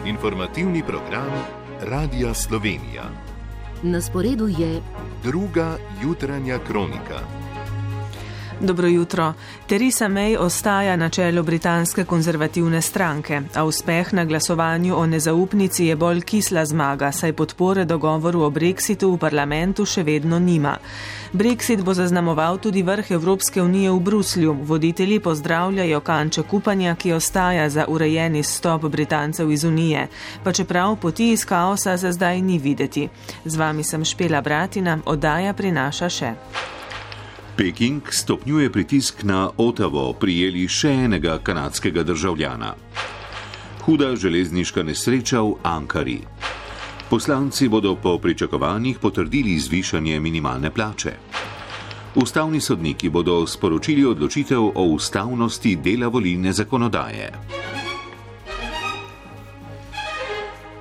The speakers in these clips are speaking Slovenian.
Informativni program Radia Slovenija. Na sporedu je druga jutranja kronika. Dobro jutro. Theresa May ostaja na čelu britanske konzervativne stranke, a uspeh na glasovanju o nezaupnici je bolj kisla zmaga, saj podpore dogovoru o Brexitu v parlamentu še vedno nima. Brexit bo zaznamoval tudi vrh Evropske unije v Bruslju. Voditelji pozdravljajo kanček upanja, ki ostaja za urejeni izstop Britancev iz Unije, pa čeprav poti iz kaosa za zdaj ni videti. Z vami sem Špela Bratina, oddaja prinaša še. Peking stopnjuje pritisk na Ottavo, prijeli še enega kanadskega državljana. Huda železniška nesreča v Ankari. Poslanci bodo po pričakovanjih potrdili zvišanje minimalne plače. Ustavni sodniki bodo sporočili odločitev o ustavnosti dela volilne zakonodaje.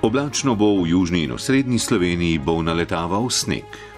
Oblačno bo v južni in osrednji Sloveniji, bo naletaval sneg.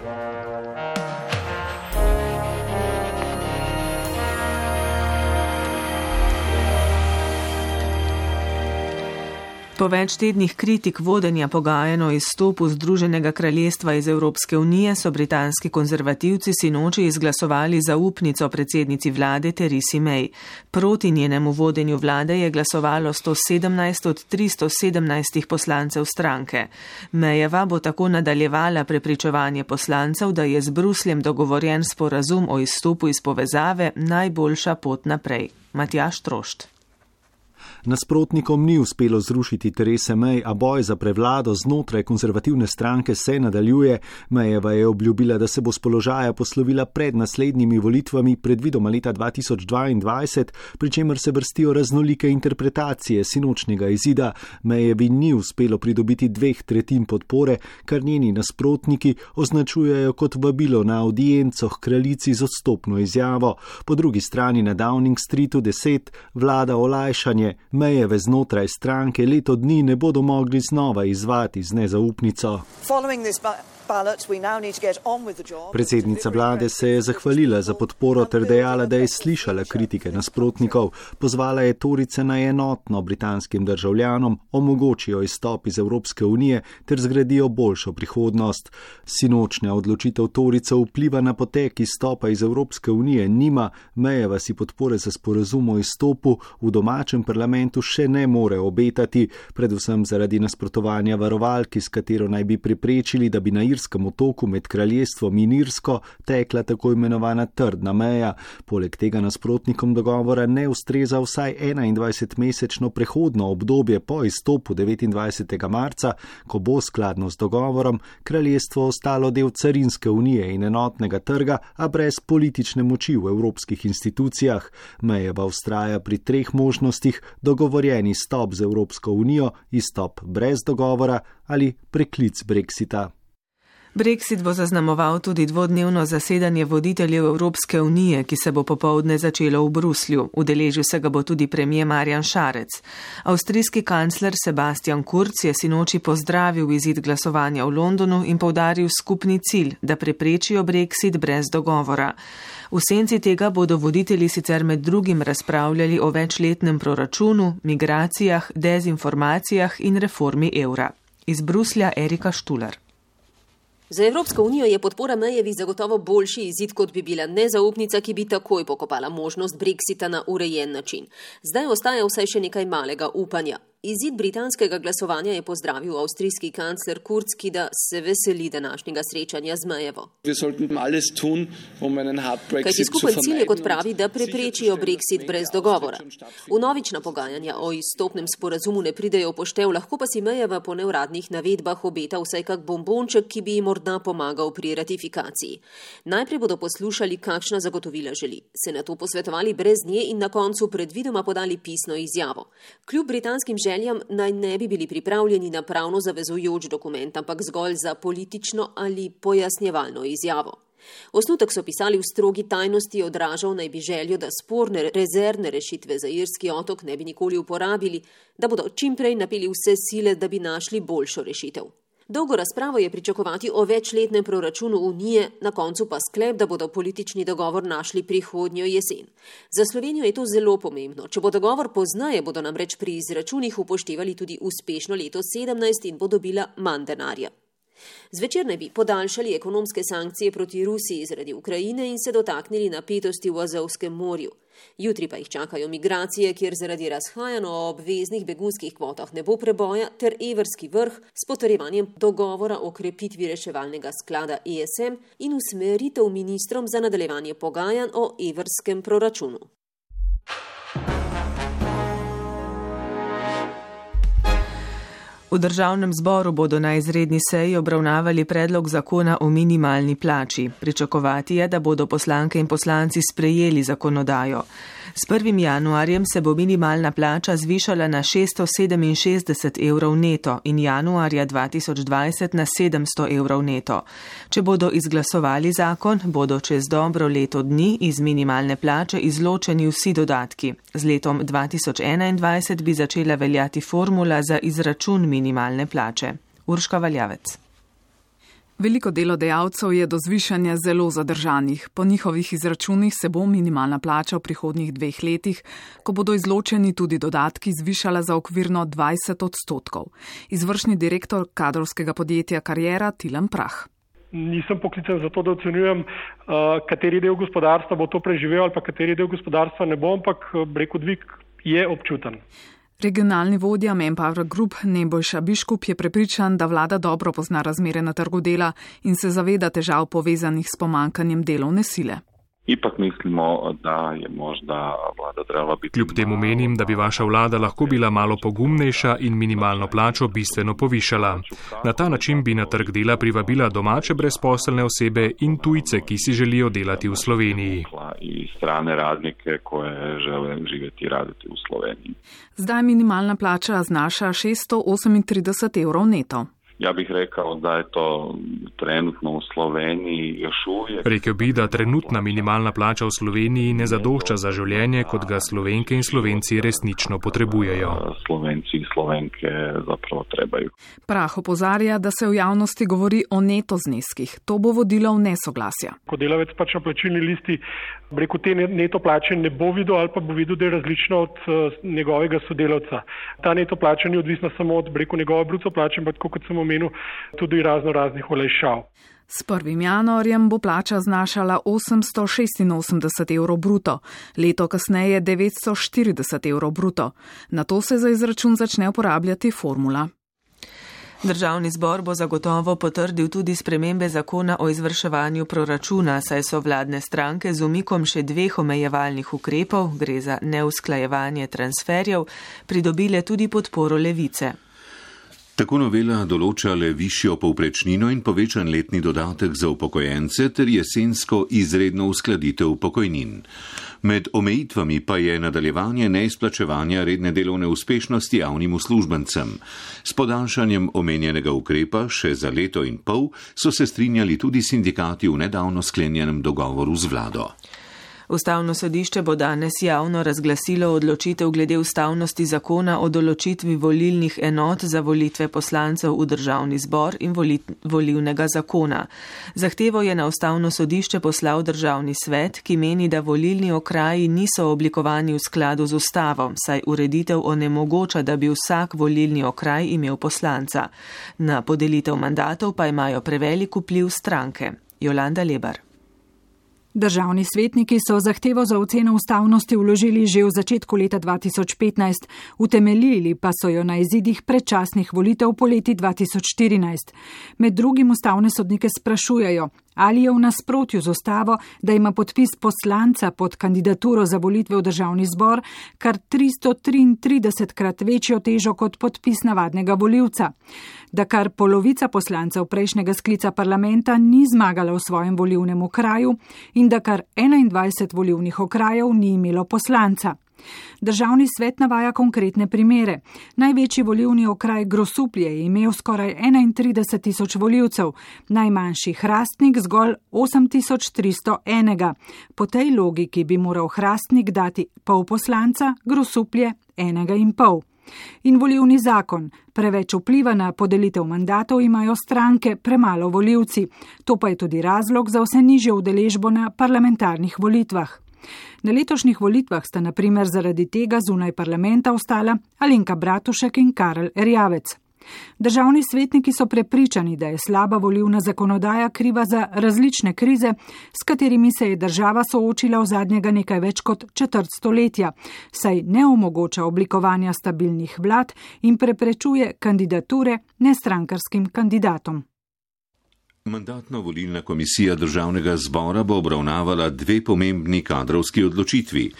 Po več tednih kritik vodenja pogajanj o izstopu Združenega kraljestva iz Evropske unije so britanski konzervativci sinoči izglasovali zaupnico predsednici vlade Theresi May. Proti njenemu vodenju vlade je glasovalo 117 od 317 poslancev stranke. Mayjeva bo tako nadaljevala prepričevanje poslancev, da je z Brusljem dogovorjen sporazum o izstopu iz povezave najboljša pot naprej. Matjaž Trošt. Nasprotnikom ni uspelo zrušiti Therese May, a boj za prevlado znotraj konzervativne stranke se nadaljuje. Mayjeva je obljubila, da se bo s položaja poslovila pred naslednjimi volitvami, predvidoma leta 2022, pri čemer se vrstijo raznolike interpretacije sinočnjega izida. Mayjevi ni uspelo pridobiti 2/3 podpore, kar njeni nasprotniki označujejo kot vabilo na audienco h kraljici z odstopno izjavo. Po drugi strani na Downing Streetu 10 vlada olajšanje. Mayjeve znotraj stranke leto dni ne bodo mogli znova izvati z nezaupnico. Predsednica vlade se je zahvalila za podporo ter dejala, da je slišala kritike nasprotnikov. Pozvala je Torijce naj enotno britanskim državljanom omogočijo izstop iz Evropske unije ter zgradijo boljšo prihodnost. Sinočnja odločitev Torijcev vpliva na potek izstopa iz Evropske unije nima. Mayjeva si podpore za sporazum o izstopu v domačem parlamentu še ne more obetati, predvsem zaradi nasprotovanja varovalki, s katero naj bi preprečili, da bi na Irskem otoku med kraljestvom in Irsko tekla tako imenovana trdna meja. Poleg tega nasprotnikom dogovora ne ustreza vsaj 21-mesečno prehodno obdobje po izstopu 29. marca, ko bo skladno z dogovorom kraljestvo ostalo del carinske unije in enotnega trga, a brez politične moči v evropskih institucijah. Mayjeva vztraja pri 3 možnostih: dogovorjeni izstop z Evropsko unijo, izstop brez dogovora ali preklic Brexita. Brexit bo zaznamoval tudi dvodnevno zasedanje voditeljev Evropske unije, ki se bo popoldne začelo v Bruslju. Udeležil se ga bo tudi premier Marjan Šarec. Avstrijski kancler Sebastian Kurz je sinoči pozdravil izid glasovanja v Londonu in poudaril skupni cilj, da preprečijo Brexit brez dogovora. V senci tega bodo voditelji sicer med drugim razpravljali o večletnem proračunu, migracijah, dezinformacijah in reformi evra. Iz Bruslja Erika Štular. Za Evropsko unijo je podpora Mayjevi zagotovo boljši izid, kot bi bila nezaupnica, ki bi takoj pokopala možnost Brexita na urejen način. Zdaj ostaja vsaj še nekaj malega upanja. Izid britanskega glasovanja je pozdravil avstrijski kancler Kurz, ki da se veseli današnjega srečanja z Mayjevo. Kajti skupen cilj je, kot pravi, da preprečijo Brexit brez dogovora. Vnovična pogajanja o izstopnem sporazumu ne pridejo v poštev, lahko pa si Mayjeva po neuradnih navedbah obeta vsaj kak bombonček, ki bi jim morda pomagal pri ratifikaciji. Najprej bodo poslušali, kakšna zagotovila želi, se nato posvetovali brez nje in na koncu predvidoma podali pisno izjavo. Kljub britanskim željam naj ne bi bili pripravljeni na pravno zavezujoč dokument, ampak zgolj za politično ali pojasnjevalno izjavo. Osnutek so pisali v strogi tajnosti, odražal naj bi željo, da sporne rezervne rešitve za irski otok ne bi nikoli uporabili, da bodo čimprej napeli vse sile, da bi našli boljšo rešitev. Dolgo razpravo je pričakovati o večletnem proračunu Unije, na koncu pa sklep, da bodo politični dogovor našli prihodnjo jesen. Za Slovenijo je to zelo pomembno. Če bo dogovor pozneje, bodo namreč pri izračunih upoštevali tudi uspešno leto 2017 in bo dobila manj denarja. Zvečer naj bi podaljšali ekonomske sankcije proti Rusiji zaradi Ukrajine in se dotaknili napetosti v Azovskem morju. Jutri pa jih čakajo migracije, kjer zaradi razhajanj o obveznih begunskih kvotah ne bo preboja, ter evrski vrh s potrjevanjem dogovora o krepitvi reševalnega sklada ESM in usmeritev ministrom za nadaljevanje pogajanj o evrskem proračunu. V državnem zboru bodo na izredni seji obravnavali predlog zakona o minimalni plači. Pričakovati je, da bodo poslanke in poslanci sprejeli zakonodajo. S 1. januarjem se bo minimalna plača zvišala na 667 evrov neto in januarja 2020 na 700 evrov neto. Če bodo izglasovali zakon, bodo čez dobro leto dni iz minimalne plače izločeni vsi dodatki. Z letom 2021 bi začela veljati formula za izračun minimalne plače. Urška Valjavec. Veliko delodajalcev je do zvišanja zelo zadržanih. Po njihovih izračunih se bo minimalna plača v prihodnjih 2 letih, ko bodo izločeni tudi dodatki, zvišala za okvirno 20%. Izvršni direktor kadrovskega podjetja Kariera Tilen Prah. Nisem poklican za to, da ocenjujem, kateri del gospodarstva bo to preživel ali pa kateri del gospodarstva ne bo, ampak dvig je občuten. Regionalni vodja Manpower Group Nebojša Biškup je prepričan, da vlada dobro pozna razmere na trgu dela in se zaveda težav povezanih s pomankanjem delovne sile. Ipak mislimo, da je možda vlada trebala biti... Kljub temu menim, da bi vaša vlada lahko bila malo pogumnejša in minimalno plačo bistveno povišala. Na ta način bi na trg dela privabila domače brezposelne osebe in tujce, ki si želijo delati v Sloveniji. I strane radnike, koje žele živeti i raditi u Sloveniji. Zdaj minimalna plača znaša 638 evrov neto. Ja bih rekao da je to trenutno u Sloveniji još uvijek. Rekel bi, da trenutna minimalna plača v Sloveniji ne zadošča za življenje, kot ga Slovenke in Slovenci resnično potrebujejo. Slovenci in Slovenke zapravo trebaju. Prah opozarja, da se v javnosti govori o neto zneskih. To bo vodilo v nesoglasja. Ko delavec pač na plačilni listi te neto plače ne bo videl ali pa bo videl, da je različna od njegovega sodelavca. Ta neto plača ni odvisna samo od njegove bruto plače, ampak kot sem omenil, tudi raznih olajšav. S 1. januarjem bo plača znašala 886 evrov bruto, leto kasneje 940 evrov bruto. Na to se za izračun začne uporabljati formula. Državni zbor bo zagotovo potrdil tudi spremembe zakona o izvrševanju proračuna, saj so vladne stranke z umikom še 2 omejevalnih ukrepov, gre za neusklajevanje transferjev, pridobile tudi podporo Levice. Tako novela določa le višjo povprečnino in povečan letni dodatek za upokojence ter jesensko izredno uskladitev pokojnin. Med omejitvami pa je nadaljevanje neizplačevanja redne delovne uspešnosti javnim uslužbencem. S podaljšanjem omenjenega ukrepa še za 1,5 leta so se strinjali tudi sindikati v nedavno sklenjenem dogovoru z vlado. Ustavno sodišče bo danes javno razglasilo odločitev glede ustavnosti zakona o določitvi volilnih enot za volitve poslancev v državni zbor in volilnega zakona. Zahtevo je na ustavno sodišče poslal državni svet, ki meni, da volilni okraji niso oblikovani v skladu z ustavo, saj ureditev onemogoča, da bi vsak volilni okraj imel poslanca. Na podelitev mandatov pa imajo prevelik vpliv stranke. Jolanda Lebar. Državni svetniki so zahtevo za oceno ustavnosti vložili že v začetku leta 2015, utemeljili pa so jo na izidih predčasnih volitev poleti 2014. Med drugim ustavne sodnike sprašujejo, ali je v nasprotju z ustavo, da ima podpis poslanca pod kandidaturo za volitve v državni zbor kar 333krat večjo težo kot podpis navadnega volivca. Da kar polovica poslancev prejšnjega sklica parlamenta ni zmagala v svojem volilnem okraju in da kar 21 volilnih okrajev ni imelo poslanca. Državni svet navaja konkretne primere. Največji volilni okraj Grosuplje je imel skoraj 31.000 volivcev, najmanjši Hrastnik zgolj 8.301. Po tej logiki bi moral Hrastnik dati pol poslanca, Grosuplje 1,5. In volilni zakon. Preveč vpliva na podelitev mandatov imajo stranke, premalo volivci. To pa je tudi razlog za vse nižjo udeležbo na parlamentarnih volitvah. Na letošnjih volitvah sta na primer zaradi tega zunaj parlamenta ostala Alenka Bratušek in Karel Erjavec. Državni svetniki so prepričani, da je slaba volilna zakonodaja kriva za različne krize, s katerimi se je država soočila v zadnjega nekaj več kot četrt stoletja, saj ne omogoča oblikovanja stabilnih vlad in preprečuje kandidature nestrankarskim kandidatom. Mandatno-volilna komisija Državnega zbora bo obravnavala dve pomembni kadrovski odločitvi.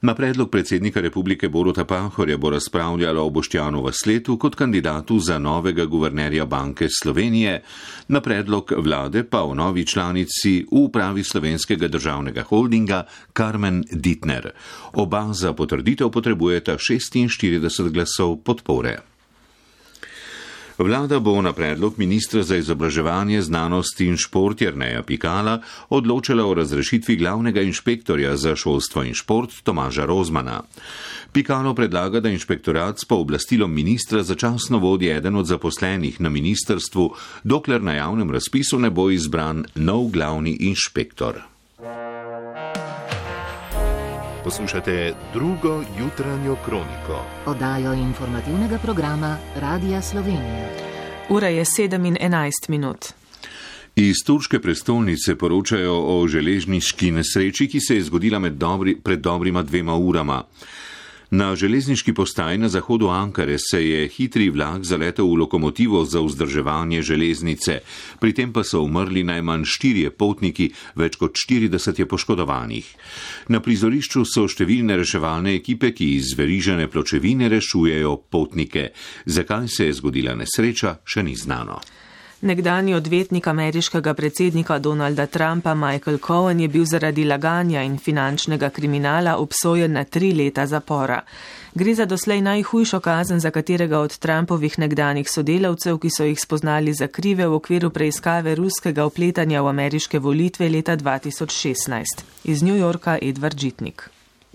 Na predlog predsednika republike Boruta Pahorja bo razpravljala o Boštjanu Vasletu kot kandidatu za novega guvernerja Banke Slovenije, na predlog vlade pa o novi članici v upravi Slovenskega državnega holdinga Karmen Dittner. Oba za potrditev potrebujeta 46 glasov podpore. Vlada bo na predlog ministra za izobraževanje, znanost in šport Jerneja Pikala odločala o razrešitvi glavnega inšpektorja za šolstvo in šport Tomaža Rozmana. Pikalo predlaga, da inšpektorat s pooblastilom ministra začasno vodi eden od zaposlenih na ministrstvu, dokler na javnem razpisu ne bo izbran nov glavni inšpektor. Poslušate drugo jutranjo kroniko. Oddajo informativnega programa Radija Slovenija. Ura je 7:11. Iz turške prestolnice poročajo o železniški nesreči, ki se je zgodila pred dobrima 2 urama. Na železniški postaji na zahodu Ankare se je hitri vlak zaletel v lokomotivo za vzdrževanje železnice, pri tem pa so umrli najmanj 4 potniki, več kot 40 je poškodovanih. Na prizorišču so številne reševalne ekipe, ki iz verižane pločevine rešujejo potnike. Zakaj se je zgodila nesreča, še ni znano. Nekdanji odvetnik ameriškega predsednika Donalda Trumpa Michael Cohen je bil zaradi laganja in finančnega kriminala obsojen na 3 leta zapora. Gre za doslej najhujšo kazen za katerega od Trumpovih nekdanjih sodelavcev, ki so jih spoznali za krive v okviru preiskave ruskega vpletanja v ameriške volitve leta 2016. Iz New Yorka Edvard Žitnik.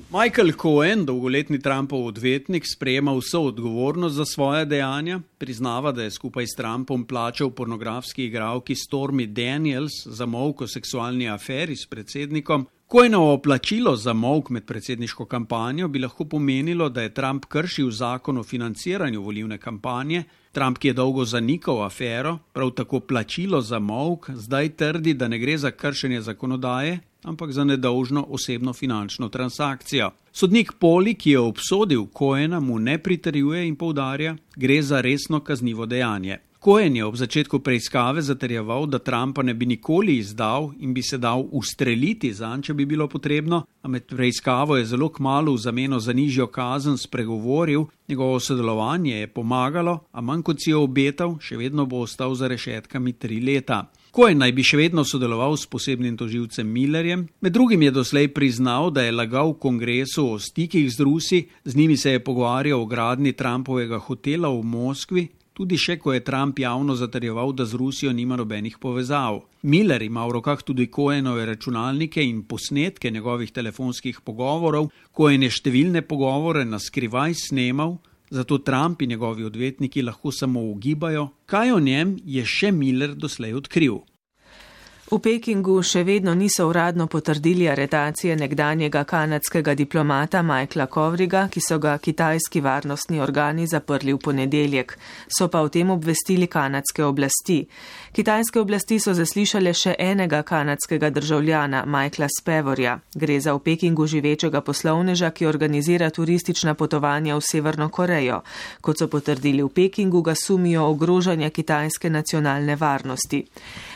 Michael Cohen, dolgoletni Trumpov odvetnik, sprejema vso odgovornost za svoje dejanja, priznava, da je skupaj s Trumpom plačal pornografski igralki Stormy Daniels za molk o seksualni aferi s predsednikom. Cohenovo plačilo za molk med predsedniško kampanjo bi lahko pomenilo, da je Trump kršil zakon o financiranju volilne kampanje. Trump, ki je dolgo zanikal afero, prav tako plačilo za molk, zdaj trdi, da ne gre za kršenje zakonodaje, ampak za nedolžno osebno finančno transakcijo. Sodnik Poli, ki je obsodil Cohena, mu ne pritrjuje in poudarja, gre za resno kaznivo dejanje. Cohen je ob začetku preiskave zatrjeval, da Trumpa ne bi nikoli izdal in bi se dal ustreliti zanj, če bi bilo potrebno, a med preiskavo je zelo kmalu v zameno za nižjo kazen spregovoril, njegovo sodelovanje je pomagalo, a manj kot si je obetal, še vedno bo ostal za rešetkami 3 leta. Cohen naj bi še vedno sodeloval s posebnim tožilcem Millerjem, med drugim je doslej priznal, da je lagal v kongresu o stikih z Rusi, z njimi se je pogovarjal o gradnji Trumpovega hotela v Moskvi, tudi še ko je Trump javno zatrjeval, da z Rusijo nima nobenih povezav. Miller ima v rokah tudi Cohenove računalnike in posnetke njegovih telefonskih pogovorov. Cohen je številne pogovore na skrivaj snemal, zato Trump in njegovi odvetniki lahko samo ugibajo, kaj o njem je še Miller doslej odkril. V Pekingu še vedno niso uradno potrdili aretacije nekdanjega kanadskega diplomata Michaela Kovriga, ki so ga kitajski varnostni organi zaprli v ponedeljek. So pa o tem obvestili kanadske oblasti. Kitajske oblasti so zaslišale še enega kanadskega državljana, Michaela Spevorja. Gre za v Pekingu živečega poslovneža, ki organizira turistična potovanja v Severno Korejo. Kot so potrdili v Pekingu, ga sumijo ogrožanja kitajske nacionalne varnosti.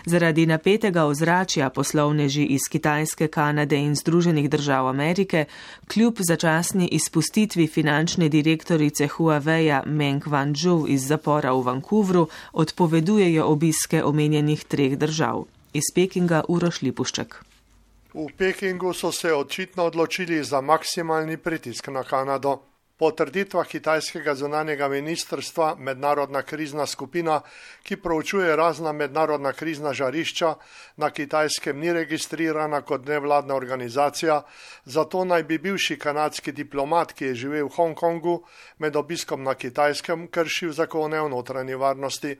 Zaradi napetega ozračja poslovneži iz Kitajske, Kanade in Združenih držav Amerike kljub začasni izpustitvi finančne direktorice Huaweia Meng Wanzhou iz zapora v Vancouvru odpovedujejo obiske omenjenih 3 držav. Iz Pekinga Uroš Lipušček. V Pekingu so se očitno odločili za maksimalni pritisk na Kanado. Po trditvah kitajskega zunanjega ministrstva mednarodna krizna skupina, ki proučuje razna mednarodna krizna žarišča, na Kitajskem ni registrirana kot nevladna organizacija, zato naj bi bivši kanadski diplomat, ki je živel v Hongkongu, med obiskom na Kitajskem kršil zakone o notranji varnosti.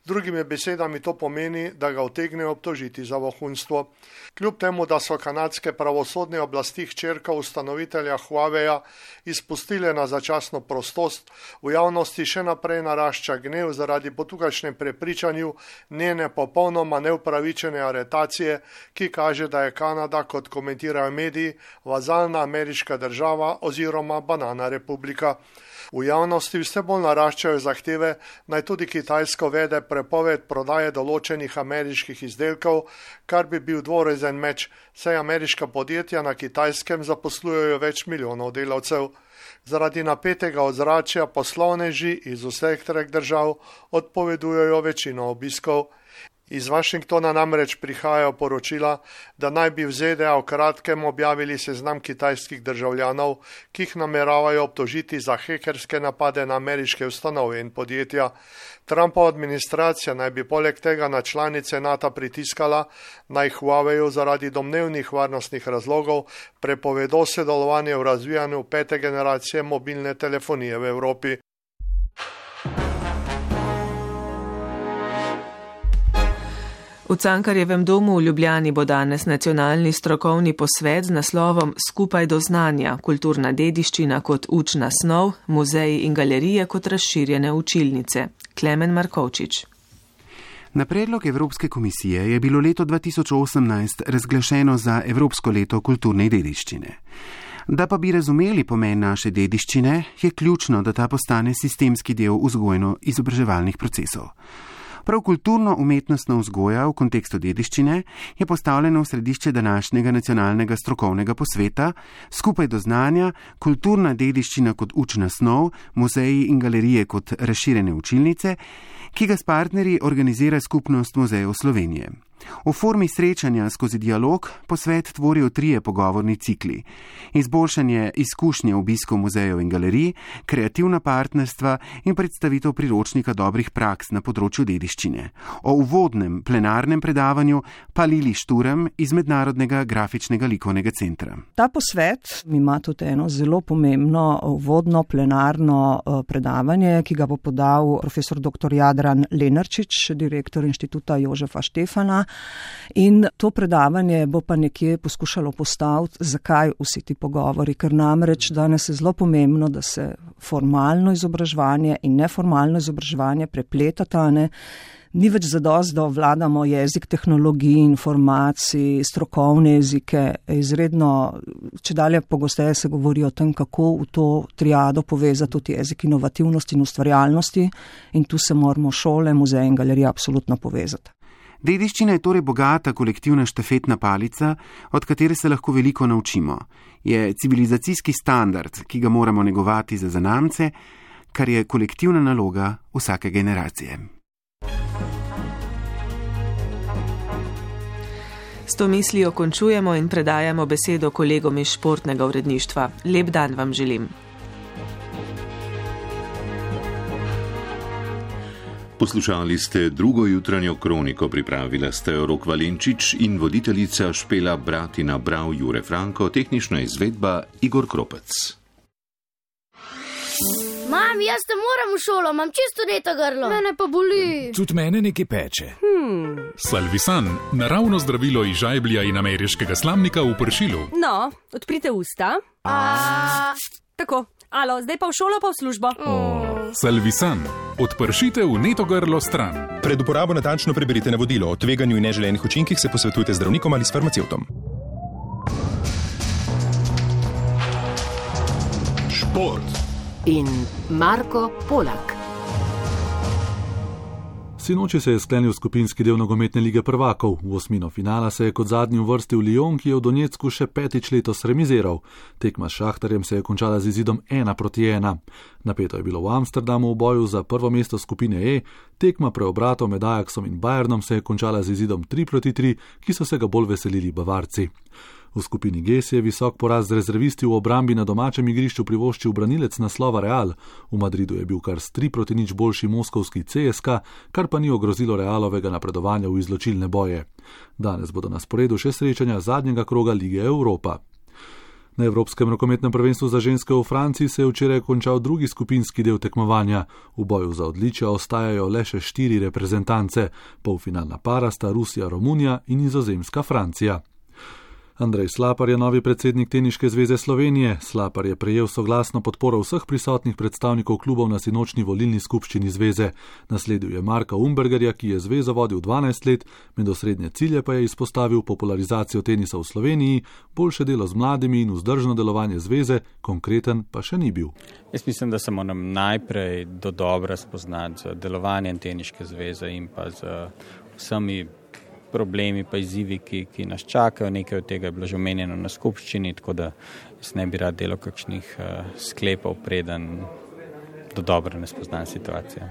Drugimi besedami to pomeni, da ga utegnejo obtožiti za vohunstvo. Kljub temu, da so kanadske pravosodne oblasti hčerka ustanovitelja Huaweia izpustile na začasno prostost, v javnosti še naprej narašča gnev zaradi po tukajšnjem prepričanju njene popolnoma neupravičene aretacije, ki kaže, da je Kanada, kot komentirajo mediji, vazalna ameriška država oziroma banana republika. V javnosti vse bolj naraščajo zahteve, naj tudi Kitajsko vede prepoved prodaje določenih ameriških izdelkov, kar bi bil dvorezen meč, saj ameriška podjetja na Kitajskem zaposlujejo več milijonov delavcev. Zaradi napetega ozračja poslovneži iz vseh treh držav odpovedujejo večino obiskov. Iz Washingtona namreč prihajajo poročila, da naj bi v ZDA v kratkem objavili seznam kitajskih državljanov, ki jih nameravajo obtožiti za hekerske napade na ameriške ustanove in podjetja. Trumpova administracija naj bi poleg tega na članice NATO pritiskala, naj Huaweiu zaradi domnevnih varnostnih razlogov prepovedo sodelovanje v razvijanju 5. generacije mobilne telefonije v Evropi. V Cankarjevem domu v Ljubljani bo danes nacionalni strokovni posvet z naslovom Skupaj do znanja, kulturna dediščina kot učna snov, muzeji in galerije kot razširjene učilnice. Klemen Markovčič. Na predlog Evropske komisije je bilo leto 2018 razglašeno za Evropsko leto kulturne dediščine. Da pa bi razumeli pomen naše dediščine, je ključno, da ta postane sistemski del vzgojno-izobraževalnih procesov. Prav kulturno-umetnostna vzgoja v kontekstu dediščine je postavljena v središče današnjega nacionalnega strokovnega posveta Skupaj do znanja, kulturna dediščina kot učna snov, muzeji in galerije kot razširjene učilnice, ki ga s partnerji organizira Skupnost muzejev Slovenije. V formi srečanja skozi dialog posvet tvorijo 3 pogovorni cikli: izboljšanje izkušnje obiskov muzejev in galerij, kreativna partnerstva in predstavitev priročnika dobrih praks na področju dediščine. O uvodnem plenarnem predavanju pa Lili Šturm iz Mednarodnega grafičnega likovnega centra. Ta posvet ima tudi eno zelo pomembno uvodno plenarno predavanje, ki ga bo podal profesor dr. Jadran Lenarčič, direktor Inštituta Jožefa Štefana. In to predavanje bo pa nekje poskušalo postaviti, zakaj vsi ti pogovori, ker namreč danes je zelo pomembno, da se formalno izobraževanje in neformalno izobraževanje prepletata. Ni več zadost, da vladamo jezik tehnologij, informacij, strokovne jezike. Izredno, če dalje pogosteje se govori o tem, kako v to triado povezati tudi jezik inovativnosti in ustvarjalnosti, in tu se moramo šole, muzeje in galerije absolutno povezati. Dediščina je torej bogata kolektivna štafetna palica, od katere se lahko veliko naučimo. Je civilizacijski standard, ki ga moramo negovati za zanamce, kar je kolektivna naloga vsake generacije. S to mislijo končujemo in predajamo besedo kolegom iz športnega uredništva. Lep dan vam želim. Poslušali ste drugo jutranjo kroniko, pripravila ste Rok Valenčič in voditeljica Špela Bratina, bral Jure Franko, tehnična izvedba Igor Kropec. Mam, jaz ne moram v šolo, imam čisto neto grlo. Mene pa boli. Tudi mene nekaj peče. Salvisan, naravno zdravilo iz žajblja in ameriškega slamnika v pršilu. No, odprite usta. Tako, alo, zdaj pa v šolo, pa v službo. Salvisan, odpršite v neto grlo stran. Pred uporabo natančno preberite navodilo. O tveganju in neželenih učinkih se posvetujte z zdravnikom ali s farmacevtom. Šport in Marko Polak. Sinoči se je sklenil skupinski del nogometne lige prvakov. V osmino finala se je kot zadnji uvrstil Lyon, ki je v Donetsku še 5. letos remiziral. Tekma s Šahtarjem se je končala z izidom 1-1. Napeto je bilo v Amsterdamu v boju za prvo mesto skupine E, tekma preobratov med Ajaxom in Bayernom se je končala z izidom 3-3, ki so se ga bolj veselili Bavarci. V skupini G si je visok poraz z rezervisti v obrambi na domačem igrišču privoščil branilec naslova Real. V Madridu je bil kar s 3-0 boljši moskovski CSKA, kar pa ni ogrozilo Realovega napredovanja v izločilne boje. Danes bodo na sporedu še srečanja zadnjega kroga Lige Evropa. Na Evropskem rokometnem prvenstvu za ženske v Franciji se je včeraj končal drugi skupinski del tekmovanja. V boju za odličja ostajajo le še 4 reprezentance. Polfinalna para sta Rusija, Romunija in Nizozemska Francija. Andrej Slapar je novi predsednik Teniške zveze Slovenije. Slapar je prejel soglasno podporo vseh prisotnih predstavnikov klubov na sinočni volilni skupščini zveze. Nasledil je Marka Umbergerja, ki je zvezo vodil 12 let, med osrednje cilje pa je izpostavil popularizacijo tenisa v Sloveniji, boljše delo z mladimi in vzdržno delovanje zveze, konkreten pa še ni bil. Jaz mislim, da se moram najprej dodobra spoznati z delovanjem Teniške zveze in pa z vsemi problemi pa izzivi, ki nas čakajo. Nekaj od tega je bilo že omenjeno na skupščini, tako da jaz ne bi rad delal kakšnih sklepov, preden dodobra ne spoznam situacijo.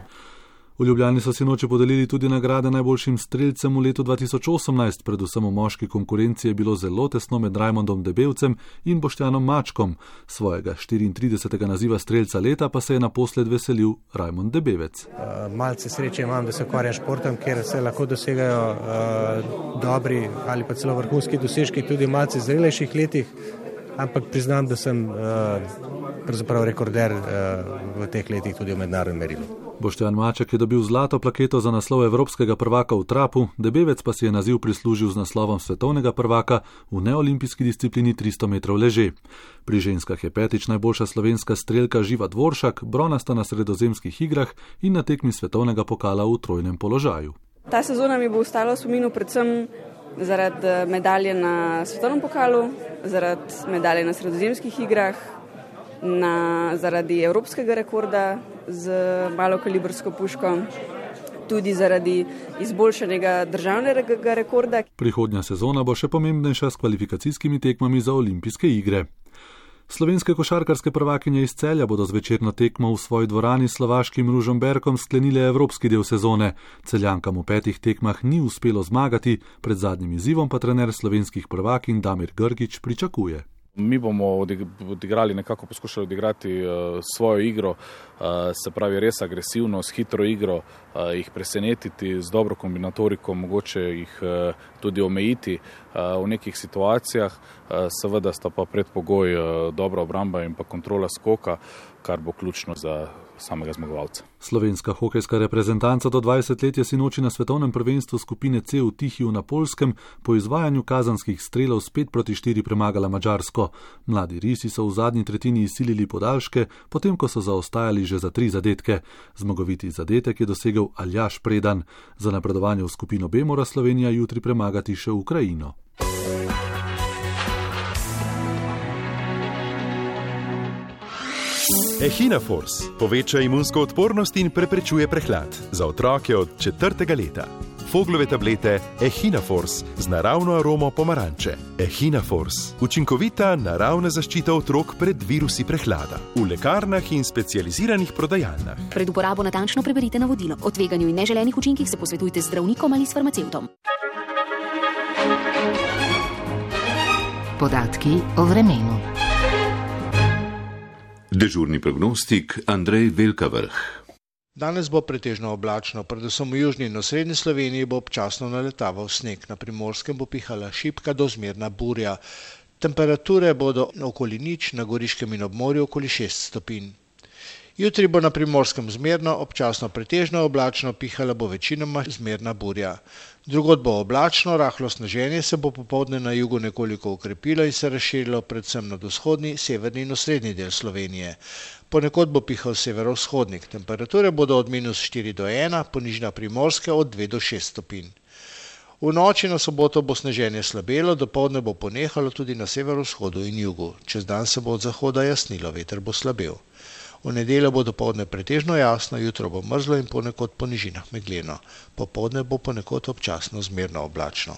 V Ljubljani so sinoči podelili tudi nagrade najboljšim strelcem v letu 2018, predvsem v moški konkurenci je bilo zelo tesno med Rajmondom Debevcem in Boštjanom Mačkom. Svojega 34. naziva strelca leta pa se je naposled veselil Rajmond Debevec. Malce sreče imam, da se ukvarjam športom, kjer se lahko dosegajo dobri ali pa celo vrhunski dosežki tudi v malce zrelejših letih, ampak priznam, da sem pravzaprav rekorder v teh letih tudi v mednarodnem merilu. Boštjan Maček je dobil zlato plaketo za naslov evropskega prvaka v trapu, Debevec pa si je naziv prislužil z naslovom svetovnega prvaka v neolimpijski disciplini 300 metrov leže. Pri ženskah je petič najboljša slovenska strelka Živa Dvoršak, bronasta na sredozemskih igrah in na tekmi svetovnega pokala v trojnem položaju. Ta sezona mi bo ostala v spominu predvsem zaradi medalje na svetovnem pokalu, zaradi medalje na sredozemskih igrah, zaradi evropskega rekorda z malokalibrsko puško, tudi zaradi izboljšanega državnega rekorda. Prihodnja sezona bo še pomembnejša s kvalifikacijskimi tekmami za olimpijske igre. Slovenske košarkarske prvakinje iz Celja bodo z večerno tekmo v svoji dvorani s slovaškim Ružomberkom sklenile evropski del sezone. Celjankam v 5 tekmah ni uspelo zmagati, pred zadnjim izzivom pa trener slovenskih prvakinj Damir Grgić pričakuje. Mi bomo nekako poskušali odigrati svojo igro, se pravi res agresivno, s hitro igro, jih presenetiti z dobro kombinatoriko, mogoče jih tudi omejiti v nekih situacijah. Seveda sta pa predpogoj dobra obramba in pa kontrola skoka, kar bo ključno za samega zmagovalca. Slovenska hokejska reprezentanca do 20 let je sinoči na svetovnem prvenstvu skupine C v Tihiju na Poljskem po izvajanju kazanskih strelov s 5-4 premagala Madžarsko. Mladi risi so v zadnji tretjini izsilili podaljške, potem ko so zaostajali že za 3 zadetke. Zmagoviti zadetek je dosegel Aljaž Predan. Za napredovanje v skupino B mora Slovenija jutri premagati še Ukrajino. Echinafors poveča imunsko odpornost in preprečuje prehlad za otroke od 4. leta. Foglove tablete Echinafors z naravno aromo pomaranče. Echinafors, učinkovita naravna zaščita otrok pred virusi prehlada. V lekarnah in specializiranih prodajalnah. Pred uporabo natančno preberite navodilo. O tveganju in neželenih učinkih se posvetujte z zdravnikom ali s farmacevtom. Podatki o vremenu. Dežurni prognostik Andrej Velkavrh. Danes bo pretežno oblačno, predvsem v južni in osrednji Sloveniji bo občasno naletaval sneg, na Primorskem bo pihala šibka do zmerna burja. Temperature bodo okoli nič, na Goriškem in ob morju okoli 6 stopinj. Jutri bo na Primorskem zmerno, občasno pretežno oblačno, pihala bo večinoma zmerna burja. Drugod bo oblačno, rahlo sneženje se bo popoldne na jugu nekoliko ukrepilo in se razširilo predvsem nad vzhodni, severni in osrednji del Slovenije. Ponekod bo pihal severovzhodnik. Temperature bodo od -4 do 1, ponižna Primorske od 2 do 6 stopinj. V noči na soboto bo sneženje slabelo, dopoldne bo ponehalo tudi na severovzhodu in jugu. Čez dan se bo od zahoda jasnilo, veter bo slabel. V nedeljo bo dopoldne pretežno jasno, jutro bo mrzlo in ponekod po nižinah megleno. Popoldne bo ponekod občasno zmerno oblačno.